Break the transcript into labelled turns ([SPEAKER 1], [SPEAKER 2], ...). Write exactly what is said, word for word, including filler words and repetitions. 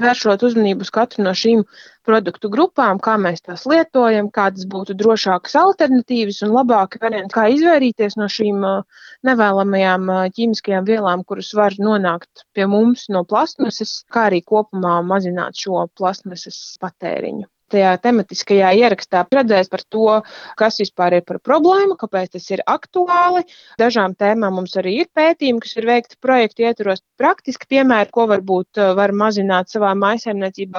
[SPEAKER 1] vēršot uzmanību uz katru no šīm produktu grupām, kā mēs tās lietojam, kādas būtu drošākas alternatīvas un labāki varianti, kā izvairīties no šīm nevēlamajām ķīmiskajām vielām, kuras var nonākt pie mums no plastmasas, kā arī kopumā mazināt šo plastmasas patēriņu. Tajā tematiskajā ierakstā redzēs par to, kas vispār ir par problēmu, kāpēc tas ir aktuāli. Dažām tēmām mums arī ir pētījumi, kas ir veikti projektu ietvaros. Praktiski piemēri, ko varbūt var mazināt savā mājsaimniecībā,